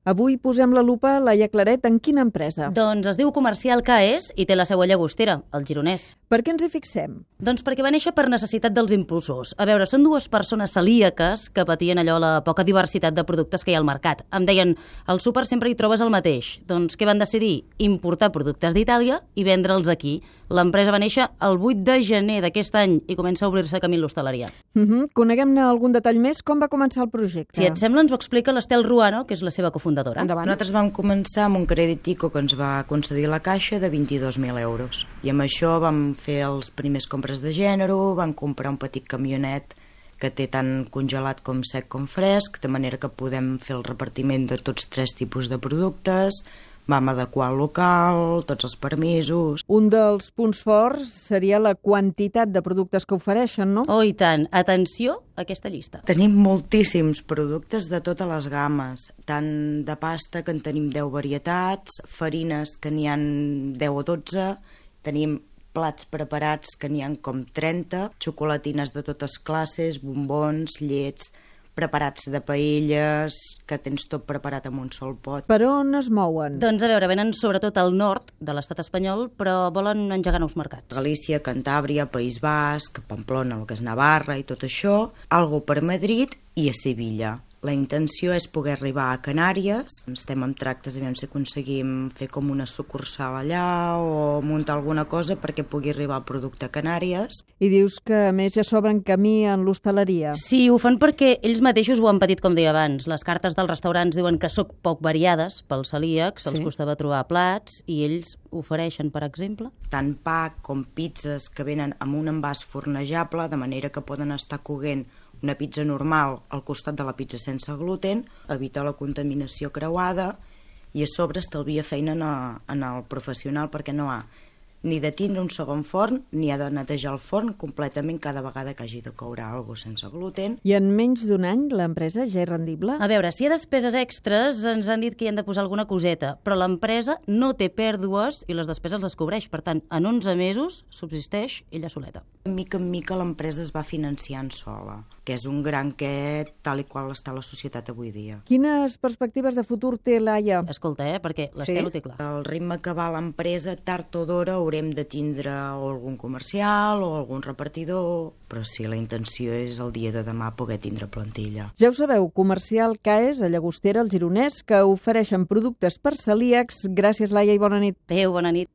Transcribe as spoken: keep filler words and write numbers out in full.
Avui posem la lupa, Laia Claret, en quina empresa? Doncs es diu Comercial K E S i té la seu a Llagostera, al Gironès. Per què ens hi fixem? Doncs perquè va néixer per necessitat dels impulsors. A veure, són dues persones celíaques que patien allò la poca diversitat de productes que hi ha al mercat. Em deien, al súper sempre hi trobes el mateix. Doncs què van decidir? Importar productes d'Itàlia i vendre'ls aquí. L'empresa va néixer el vuit de gener d'aquest any i comença a obrir-se camí en l'hostaleria. Uh -huh. Coneguem-ne algun detall més. Com va començar el projecte? Si et sembla, ens ho explica l'Estel Ruano, que és la seva cofundadora. Endavant. Nosaltres vam començar amb un crèdit ICO que ens va concedir la Caixa de vint-i-dos mil euros. I amb això vam fer els primers compres de gènere, vam comprar un petit camionet que té tant congelat com sec com fresc, de manera que podem fer el repartiment de tots tres tipus de productes, vam adequar el local, tots els permisos. Un dels punts forts seria la quantitat de productes que ofereixen, no? Oh, i tant. Atenció a aquesta llista. Tenim moltíssims productes de totes les gammes, tant de pasta, que en tenim deu varietats, farines, que n'hi ha deu o dotze, tenim plats preparats, que n'hi ha com trenta, xocolatines de totes classes, bombons, llets, preparats de paelles, que tens tot preparat en un sol pot. Per on es mouen? Doncs a veure, venen sobretot al nord de l'estat espanyol, però volen engegar nous mercats. Galícia, Cantàbria, País Basc, Pamplona, el que és Navarra i tot això, algo per Madrid i a Sevilla. La intenció és poder arribar a Canàries. Estem en tractes a veure si aconseguim fer com una sucursal allà o muntar alguna cosa perquè pugui arribar el producte a Canàries. I dius que, a més, ja s'obren camí en l'hostaleria. Sí, ho fan perquè ells mateixos ho han patit, com deia abans. Les cartes dels restaurants diuen que són poc variades pels celíacs, Sí. els costava trobar plats, i ells ofereixen, per exemple... Tant pa com pizzas que venen amb un envàs fornejable, de manera que poden estar coguent una pizza normal al costat de la pizza sense gluten, evita la contaminació creuada i a sobre estalvia feina en el, en el professional perquè no ha ni de tindre un segon forn ni ha de netejar el forn completament cada vegada que hagi de coure alguna cosa sense gluten. I en menys d'un any l'empresa ja és rendible? A veure, si hi ha despeses extres, ens han dit que hi han de posar alguna coseta, però l'empresa no té pèrdues i les despeses les cobreix. Per tant, en onze mesos subsisteix ella soleta. Mica en mica l'empresa es va financiant sola, que és un gran què tal i qual està la societat avui dia. Quines perspectives de futur té Laia? Escolta, eh, perquè l'Estel ho té clar. El ritme que va l'empresa, tard o d'hora, haurem de tindre o algun comercial o algun repartidor, però sí, la intenció és el dia de demà poder tindre plantilla. Ja ho sabeu, Comercial K E S a Llagostera, al Gironès, que ofereixen productes per celíacs. Gràcies, Laia, i bona nit. Adéu, bona nit.